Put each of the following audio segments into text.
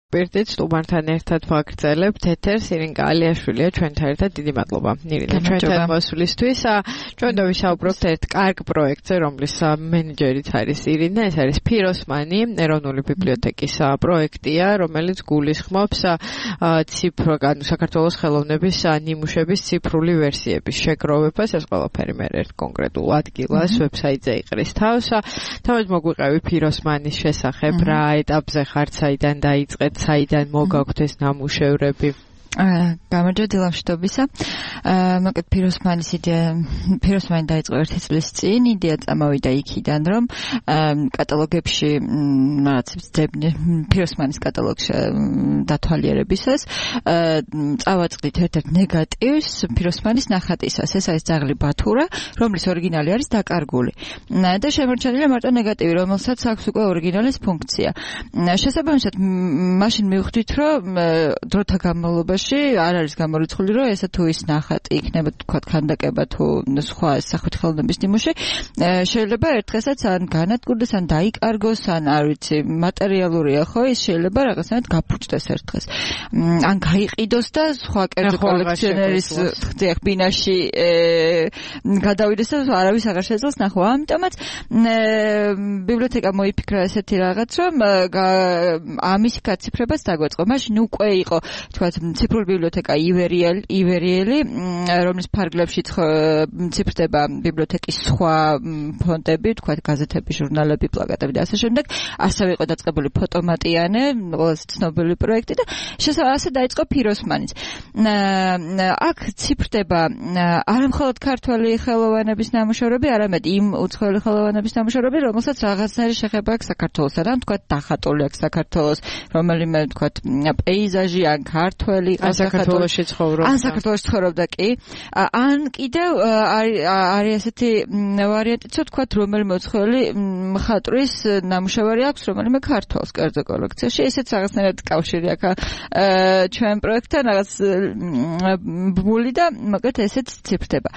პირდით სტუმართან ერთად ვაგრძელებთ ეთერს. ირინკა ალიაშვილია ჩვენთან ერთად. დიდი მადლობა ირინა ჩვენთან მოსვლისთვის. ჩვენ დავისაუბროთ ერთ კარგ პროექტზე, რომლის მენეჯერიც არის ირინა. ეს არის ფიროსმანი, ეროვნული ბიბლიოთეკის პროექტია, რომელიც გულისხმობს საქართველოს ხელოვნების ნიმუშების ციფრული ვერსიების შეგროვებას. ეს ყველაფერი მე ერთ კონკრეტულ ადგილას ვებსაიტზე იყრის თავს. თავად მოგვიყევი ფიროსმანის შესახებ, რა ეტაპზე ხართ, საიდან დაიწყეთ, საიდან მოგაქვთ ეს ნამუშევრები? გამარჯობა დილამშვიდობისა. მოკლედ ფიროსმანი დაიწყო 1 წლის წინ. იდეა წამოვიდა იქიდან, რომ კატალოგებში რაღაცებს ძებნი ფიროსმანის კატალოგში დათვალიერებისას წავაწყდით ერთ-ერთ ნეგატივს ფიროსმანის ნახატისას. ეს არის ძაღლი ბათურა, რომლის ორიგინალი არის დაკარგული. და შემორჩენილია მარტო ნეგატივი, რომელსაც აქვს უკვე ორიგინალის ფუნქცია. შესაბამისად, მაშინ მივხვდით, რომ დროთა განმავლობაში არ არის გამორიცხული, რომ ესა თუ ის ნახატი იქნება თქვა ქანდაკება თუ სხვა სახვითი ხელოვნების ნიმუში, შეიძლება ერთ დღესაც ან განადგურდეს, ან დაიკარგოს, ან არ ვიცი, მატერიალურია ხო, ის შეიძლება რაღაცნაირად გაფუჭდეს ერთ დღეს. ან გაიყიდოს და სხვა კერძო კოლექციონერის ბინაში გადავიდეს და არავის აღარ შეძლოს ნახვა. ამიტომაც ბიბლიოთეკა მოიფიქრა ესეთი რაღაც, რომ ამის გაციფრებას დაგვეწყო. მაშინ უკვე იყო თქვა ციფრული ბიბლიოთეკა ივერიელი, რომლის ფარგლებში ციფრდება ბიბლიოთეკის სხვა ფონდები, თქვა გაზეთები, ჟურნალები, პლაკატები და ასე შემდეგ. ასევე იყო დაწყებული ფოტომატიანე, ყველაზე ცნობილი პროექტი და ასე დაიწყო ფიროსმანიც. აქ ციფრდება არამხოლოდ ქართველი ხელოვნების ნამუშევრები, არამედ იმ უცხოელი ხელოვნების ნამუშევრები, რომელსაც რაღაცნაირი შეხება აქვს საქართველოსთან, ან თქვა დახატული აქვს საქართველოს, რომელიმე თქვა პეიზაჟი, ან ქართველი საქართველოში ცხოვრობდა. ან საქართველოში ცხოვრობდა კი. ან კიდევ არის ესეთი ვარიანტიც, თქვათ, რომელიმე უცხოელი მხატვრის ნამუშევარი აქვს, რომელიმე ქართველს კერძო კოლექციაში. ესეც რაღაცნაირად კავშირი აქვს ჩვენ პროექტთან, რაღაც ბული და მოკლედ ესეც ციფრდება.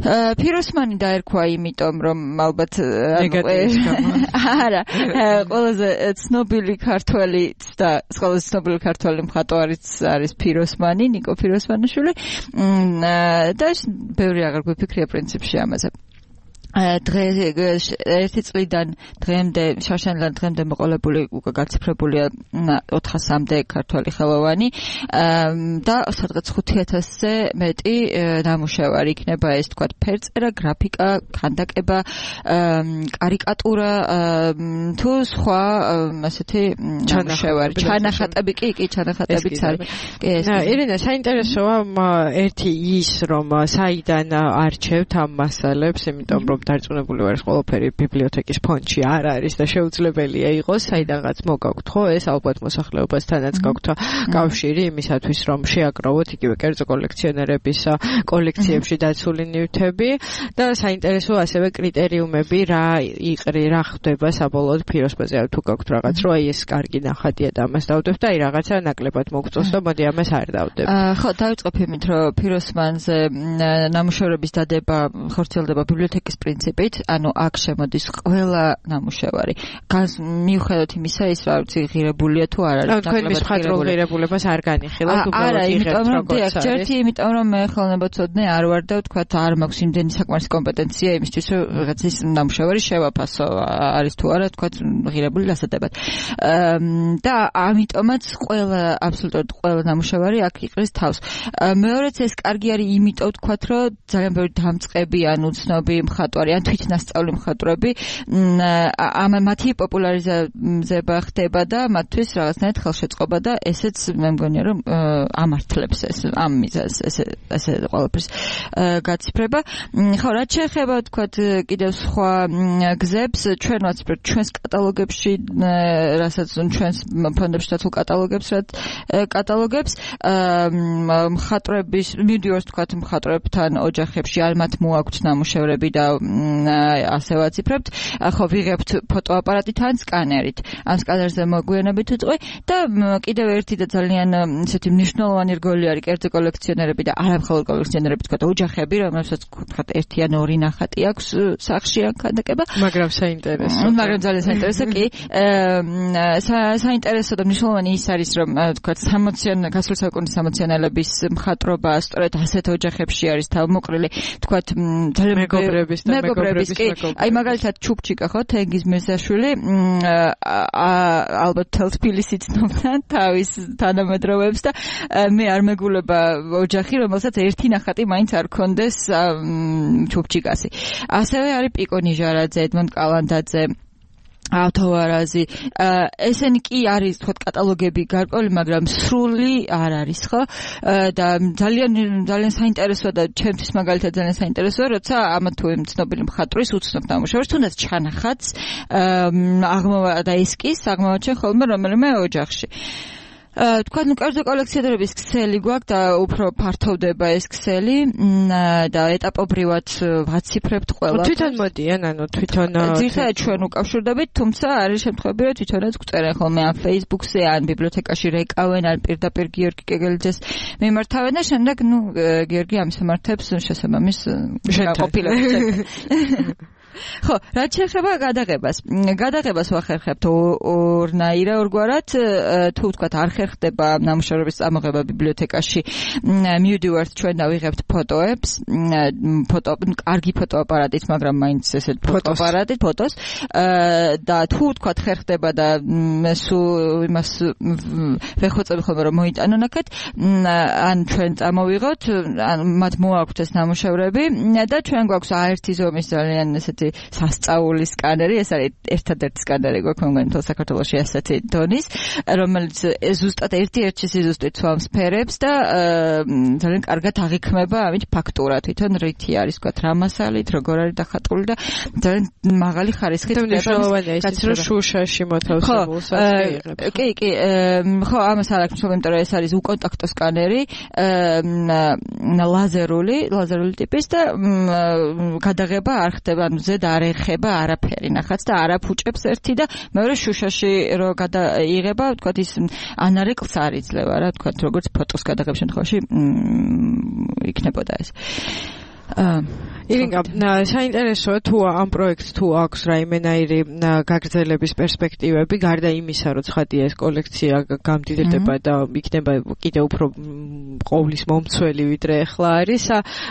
ფიროსმანი დაერქვა იმიტომ, რომ ალბათ არა, ყველაზე ცნობილი ქართველი და ყველაზე ცნობილი ქართველი მხატვარიც არის ფიროსმანი, ნიკო ფიროსმანიშვილი. და ბევრი აღარ გვიფიქრია პრინციპში ამაზე. ერთი წლიდან დღემდე შარშანიდან დღემდე მოყოლებული უკვე გაციფრებულია 400-მდე ქართველი ხელოვანი და სადღაც 5000-ზე მეტი ნამუშევარი იქნება ეს თქვა ფერწერა, გრაფიკა, ქანდაკება, კარიკატურა თუ სხვა ასეთი ნამუშევარი. ჩანახატები კი ჩანახატებიც არის. ირინა, საინტერესოა ერთი ის, რომ საიდან არჩევთ ამ მასალებს, იმიტომ რომ დარწმუნებული ვარ, ყველაფერი ბიბლიოთეკის ფონდში არ არის და შეუძლებელია იყოს, საიდანაც მოგაქვთ ხო, ეს ალბათ მოსახლეობასთანაც გაქვთ კავშირი იმისათვის, რომ შეაგროვოთ იგივე კერძო კოლექციონერების კოლექციებში დაცული ნივთები და საინტერესო ასევე კრიტერიუმები, რა ხდება საბოლოოდ ფიროსმანზე, თუ გაქვთ რაღაც, რომ აი ეს კარგი ნახატია და ამას დავდებთ და აი რაღაცა ნაკლებად მოგწონს და მოდი ამას არ დავდებ. ხო, დავიწყებ იმით, რომ ფიროსმანზე ნამუშევრების დადება ხორციელდება ბიბლიოთეკის პრინციპით, ანუ აქ შემოდის ყველა ნამუშევარი. მიუხედავად იმისა, ის რა ვიცი, ღირებულია თუ არ არის. თქვენ მის მხატვრულ ღირებულებას არ განიხილავთ, უბრალოდ იღებთ როგორც არის. ერთი იმიტომ, რომ მე ხელოვნებაცოდნე არ ვარ და თქვა არ მაქვს იმდენი საკმარისი კომპეტენცია იმისთვის, რომ რაღაცის ნამუშევარი შევაფასო, არის თუ არა, თქვა ღირებული დასადებად. და ამიტომაც აბსოლუტურად ყველა ნამუშევარი აქ იყრის თავს. მეორეც ეს კარგი არის იმიტომ, თქვა, რომ ძალიან ბევრი დამწყები ან უცნობი მხატვარი ან თვითნასწავლი მხატვრები მათი პოპულარიზება ხდება და მათთვის რაღაცნაირად ხელშეწყობა და ესეც მე მგონია რომ ამართლებს ამ მიზანს ესე ყველაფერს გაციფრება. ხო, რაც შეეხება თქვათ კიდევ სხვა გზებს, ჩვენ ვაციფრებთ ჩვენს კატალოგებში, რასაც ჩვენს ფონდებში დაცულ კატალოგებს მხატვრების მივდივართ თქვათ მხატვრებთან ოჯახებში, ან მათ მოაქვთ ნამუშევრები და ასე ვაციფრებთ. ხო ვიღებთ ფოტოაპარატით ან სკანერით. ამ სკანერზე მოგვიანებით უწყვი და კიდევ ერთი და ძალიან ისეთი მნიშვნელოვანი რგოლი არის კერძო კოლექციონერები და არამხოლოდ კოლექციონერები, თქვა ოჯახები, რომელსაც თქვა ერთი ან ორი ნახატი აქვს სახში ან ქანდაკება. მაგრამ საინტერესო. მაგრამ ძალიან საინტერესო კი. საინტერესო და მნიშვნელოვანი ის არის, რომ თქვა გასული საუკუნის სამოციანელების მხატვრობა სწორედ ასეთ ოჯახებში არის თავმოყრილი, თქვა ძალიან მეგობრების და მეგობრების აი მაგალითად ჩუპჩიკა ხო თენგიზ მირზაშვილი ალბათ თელ თბილისი ცნობდა თავის თანამედროვეებს და მე არ მეგულება ოჯახი, რომელსაც ერთი ნახატი მაინც არ ქონდეს ჩუპჩიკასი. ასევე არის პიკო ნიჟარაძე, ედმონდ კალანდაძე, ავთოვარაზი, ესენი კი არის თქვა კატალოგები გარკვეული, მაგრამ სრული არ არის ხო? და ძალიან საინტერესოა და ჩემთვის მაგალითად ძალიან საინტერესოა, როცა ამა თუ იმ ცნობილი მხატვრის უცნობ ნამუშევრს, თუნდაც ჩანახატს აღმოვა და ესკიზს აღმოვაჩენ ხოლმე რომელიმე ოჯახში. თქვა კერძო კოლექციონერების ქსელი გვაქვს და უფრო ფართოვდება ეს ქსელი და ეტაპობრივად ვაციფრებთ ყველაფერს. თვითონ მოდიან, თვითონ ძირითადად ჩვენ უკავშირდებით, თუმცა არის შემთხვევები, რომ თვითონაც გვწერენ ხოლმე ან Facebook-ზე, ან ბიბლიოთეკაში რეკავენ, ან პირდაპირ გიორგი კეგელიძეს მიმართავენ და შემდეგ გიორგი ამის მიმართებს შესაბამის ყოფილებას. ხო, რაც შეეხება გადაღებას ვახერხებთ ორგვარად, თუ ვთქვათ არ ხერხდება ნამუშევრების წამოღება ბიბლიოთეკაში, მივდივართ ჩვენ და ვიღებთ ფოტოებს, კარგი ფოტოაპარატით, მაგრამ მაინც ესეთ ფოტოაპარატით, ფოტოს და თუ ვთქვათ ხერხდება და სულ იმას ვეხოწები ხოლმე რომ მოიტანონ აქეთ, ან ჩვენ წამოვიღოთ, ან მათ მოაქვთ ეს ნამუშევრები და ჩვენ გვაქვს A1 ზომის ძალიან ესეთი სასწაული სკანერი, ეს არის ერთადერთი სკანერი გვაქვს მეგონი მთელ საქართველოში ასეთი დონის, რომელიც ზუსტად ერთ-ერთი სიზუსტით სვამს ფერებს და ძალიან კარგად აღიქმება ამით ფაქტურა, თვითონ რითი არის თქვა რა მასალით, როგორ არის დახატული და ძალიან მაღალი ხარისხით ხდება. ეს რომ შუშაში მოთავსებულსაც იღებს. კი, ხო, ამას არ აქვს მშვენი, იმიტომ რომ ეს არის უკონტაქტო სკანერი, ლაზერული ტიპის და გადაღება არ ხდება, ანუ ზედ არ ეხება არაფერი ნახატს და არ აფუჭებს ერთი და მეორე შუშაში რო გადაიღება, თქვა ის ანარეკლს არ იძლევა რა, თქვა როგორც ფოტოს გადაღების შემთხვევაში იქნებოდა ეს. ირინგა, საინტერესოა თუ ამ პროექტს თუ აქვს რაიმენაირი გაგრძელების პერსპექტივები, გარდა იმისა, რომ ცხადია ეს კოლექცია გამდიდრდება და იქნება კიდევ უფრო ყოვლის მომცველი ვიდრე ახლა არის.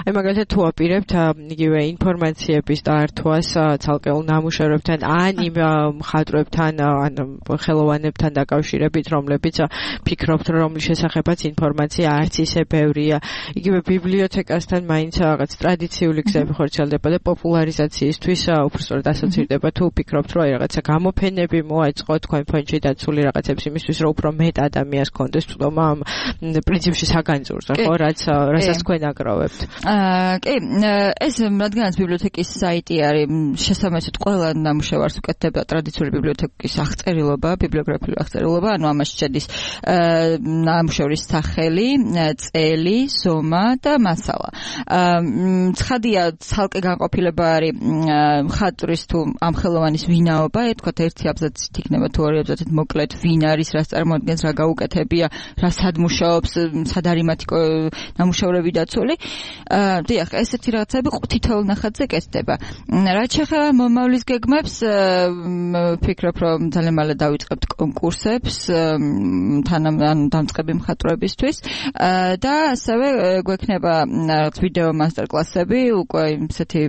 აი მაგალითად თუ აპირებთ იგივე ინფორმაციების დაართვას ცალკეულ ნამუშევრებთან ან იმ მხატვრებთან ან ხელოვანებთან დაკავშირებით, რომლებიც ფიქრობთ, რომლის შესახებაც ინფორმაცია არც ისე ბევრია. იგივე ბიბლიოთეკასთან მაინც რაღაც ტრადიციული გზები ხორციელდება და პოპულარიზაციისთვის უბრალოდ ასოცირდება. თუ ფიქრობთ, რომ რაღაცა გამოფენები მოაწყო თქვენ ფონდში დაცული რაღაცებს იმისთვის, რომ უფრო მეტ ადამიანს კონდეს თვითონ ამ პრინციპში საგანძურზე, ხო, რასაც თქვენ აგროვებთ. კი, ეს რადგანაც ბიბლიოთეკის საიტი არის, შესაბამისად ყველა ნამუშევარს უკეთდება ტრადიციული ბიბლიოთეკის აღწერილობა, ბიბლიოგრაფიული აღწერილობა, ანუ ამაში შედის ნამუშევრის სახელი, წელი, ზომა და მასალა. ცხადია ცალკე განყოფილება არის მხატვრის თუ ამ ხელოვანის ვინაობა, თქვათ ერთი აბზაცით იქნება თუ ორი აბზაცით მოკლედ ვინ არის, რას წარმოადგენს, რა გაუკეთებია, რა სად მუშაობს, სად არის მათი ნამუშევრები დაცული. დიახ, ესეთი რაღაცები თითოეულ ნახატზე კეთდება. რაც შეეხება მომავლის გეგმებს, ვფიქრობ, რომ ძალიან მალე დავიწყებთ კონკურსებს დამწყები მხატვრებისთვის და ასევე გვექნება რაღაც ვიდეო მასტერკლასები უკვე ისეთი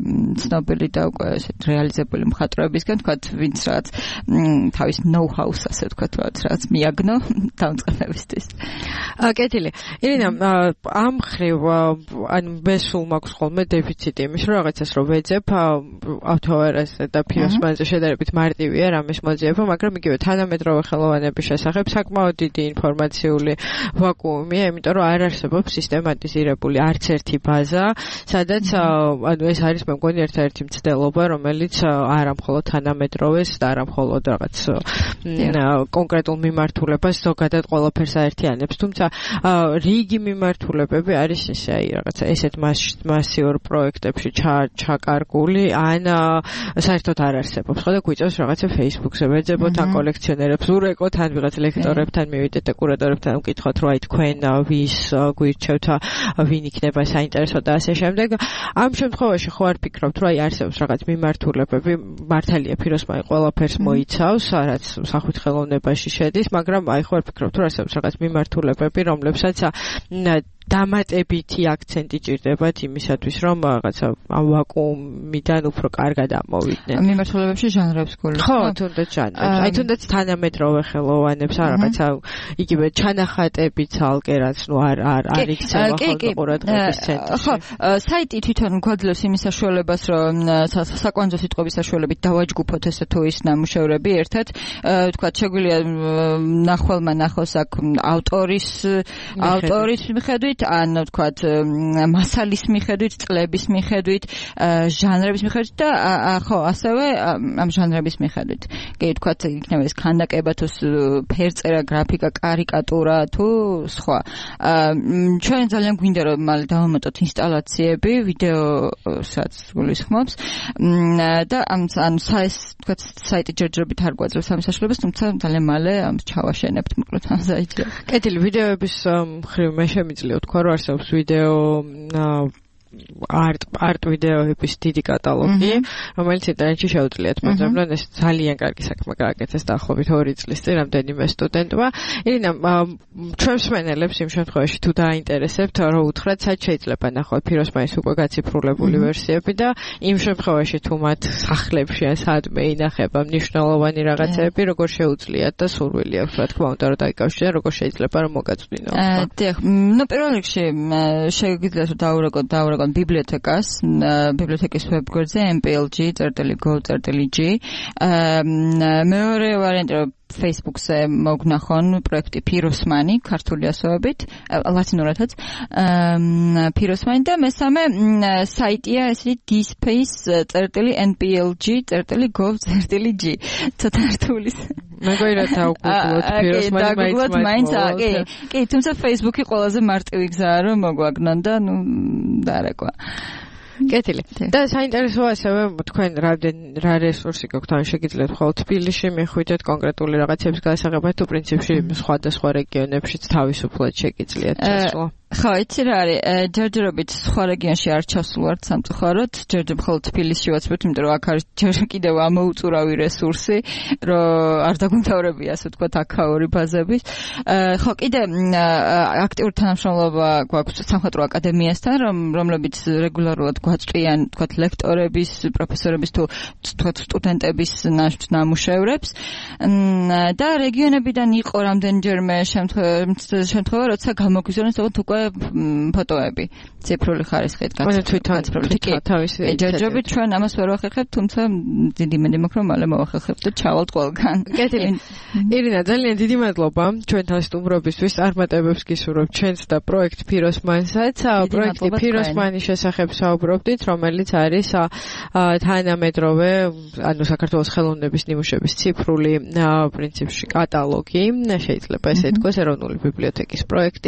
ცნობილი და უკვე ესეთ რეალიზებული მხატვრებისგან, თქვათ, ვინც რაღაც თავის ნოუ-ჰაუს, ასე ვთქვათ, რაღაც მიაგნო დამწყებებისთვის. კეთილი. ირინა, ამ ხრივ ან მესულ მაქვს ხოლმე დეფიციტი იმის, რომ რაღაცას რო ვეძებ, ავთოვარაზე და ფიროსმანზე შედარებით მარტივია რამის მოძიება, მაგრამ იგივე თანამედროვე ხელოვანების შესახებ საკმაოდ დიდი ინფორმაციული ვაკუუმია, იმიტომ რომ არ არსებობს სისტემატიზირებული არც ერთი ბაზა, სადაც ანუ ეს არის მე მგონი ერთ-ერთი მცდელობა, რომელიც არა მხოლოდ თანამედროვეს და არა მხოლოდ რაღაც კონკრეტულ მიმართულებას ზოგადად ყველაფერს აერთიანებს, თუმცა რიგი მიმართულებები არის ისე აი რაღაცა ესეთ მასიურ პროექტებში ჩაკარგული ან საერთოდ არ არსებობს. ხო და გვიწევს რაღაცა Facebook-ზე ვეძებოთ ან კოლექციონერებს ურეკოთ ან ვიღაც ლექტორებთან მივიდეთ და კურატორებთან ვკითხოთ რომ აი თქვენ ვის გვირჩევთ ვინ იქნება საინტერესო და ასე შემდეგ. ამ შემთხვევაში ხო არ ფიქრობთ რომ აი არსებობს რაღაც მიმართულებები მართალია ფიროსმანი ყველაფერს მოიცავს რაც სახვითი ხელოვნებაში შედის, მაგრამ აი ხო არ ფიქრობთ რომ არსებობს რაღაც მიმართულებები რომლებსაც დამატებითი აქცენტი ჭირდებათ იმისათვის რომ რაღაცა ამ ვაკუუმიდან უფრო კარგად ამოვიდნენ. მიმართულებებში ჟანრებს გულისხმობ? ხო, თუნდაც ჟანრებს. აი თუნდაც თანამედროვე ხელოვანებს ან რაღაცა იგივე ჩანახატები ცალკე რაც ნუ არ იქცევა ხოლმე ყურადღების ცენტრში. ხო, საიტი თვითონ გვაძლევს იმის საშუალებას რომ საკვანძო სიტყვების საშუალებით დავაჯგუფოთ ესე თუ ის ნამუშევრები ერთად, თქვათ შეგვიძლია ნახველმა ნახოს აქ ავტორის მიხედვით ან ვთქვათ მასალის მიხედვით, წლების მიხედვით, ჟანრების მიხედვით და ხო, ასევე ამ ჟანრების მიხედვით. კი, ვთქვათ, იქნება ეს ქანდაკება თუ ფერწერა, გრაფიკა, კარიკატურა თუ სხვა. ჩვენ ძალიან გვინდა რომ მალე დავამატოთ ინსტალაციები, ვიდეოსაც გულისხმობს და ამ ვთქვათ, საიტი ჯერჯერობით არ გვაძლევს ამ საშუალებას, თუმცა ძალიან მალე ჩავაშენებთ მოკლედ ამ საიტზე. კეთილი, ვიდეოების მხრივ მე შემიძლია თქვა რომ არსებობს ვიდეო არტ ვიდეოების დიდი კატალოგი, რომელიც ინტერნეტში შეუძლიათ მოძებნონ. ეს ძალიან კარგი საქმე გააკეთეს დაახლოებით 2 წლის წინ რამდენიმე სტუდენტმა. ირინა, ჩვენს მსმენელებს იმ შემთხვევაში თუ დაინტერესებთ, რომ უთხრათ, სად შეიძლება ნახოთ ფიროსმანის უკვე გაციფრულებული ვერსიები და იმ შემთხვევაში თუ მათ სახლებში ან სადმე ინახება მნიშვნელოვანი რაღაცები, როგორ შეუძლიათ და სურვილი აქვს, რა თქმა უნდა, რომ დაიკავშირდნენ, როგორ შეიძლება რომ მოგაწვდინონ. დიახ, ნუ პირველ რიგში შეგიძლიათ რომ დაურეკოთ ბიბლიოთეკას, ბიბლიოთეკის ვებგვერდზე mplg.gov.g. მეორე ვარიანტი რომ Facebook-ზე მოგნახონ პროექტი ფიროსმანი, ქართული ასოებით, ლათინურადაც, ფიროსმანი და მესამე საიტია ესეთი dspace.nplg.gov.g. ცოტა რთულის. მეგონა დაუგუგლოთ ფიროსმანი მაინც. კი, თუმცა Facebook-ი ყველაზე მარტივი გზაა რომ მოგვაგნონ და ნუ დარეკვა. კეთილი. და საინტერესოა ასევე თქვენ რა რესურსი გაქვთ, ან შეგიძლიათ მხოლოდ თბილისში მიხვიდეთ კონკრეტული რაღაცების გასაღებად თუ პრინციპში სხვადასხვა რეგიონებშიც თავისუფლად შეგიძლიათ ჩასვლა. ხო, იცი რა არის, ჯერჯერობით სხვა რეგიონში არ ჩასულვართ სამწუხაროდ, ჯერჯერ მხოლოდ თბილისში ვაცნობთ, იმიტომ რომ აქ არის ჯერ კიდევ ამოუწურავი რესურსი, რომ არ დაგვიმთავრებია, ასე ვთქვათ, აქაური ბაზების. ხო, კიდე აქტიური თანამშრომლობა გვაქვს სამხატვრო აკადემიასთან, რომლებიც რეგულარულად გვაწვდიან, ვთქვათ, ლექტორების, პროფესორების თუ ვთქვათ, სტუდენტების ნამუშევრებს. და რეგიონებიდან იყო რამდენჯერმე შემთხვევა, როცა გამოგვიზრდოს უკვე ფოტოები ციფრული ხარისხით გაციფრულებული. ჯერჯერობით ჩვენ ამას ვერ ვახერხებთ, თუმცა დიდი იმედი მაქვს რომ მალე მოვახერხებთ და ჩავალთ ყველგან. კეთილი. ირინა, ძალიან დიდი მადლობა ჩვენთან სტუმრობისთვის. წარმატებებს გისურვებთ ჩვენს და პროექტ ფიროსმანსაც. პროექტი ფიროსმანის შესახებ საუბრობდით, რომელიც არის თანამედროვე, ანუ საქართველოს ხელოვნების ნიმუშების ციფრული პრინციპში კატალოგი, შეიძლება ესე ითქვას, ეროვნული ბიბლიოთეკის პროექტი.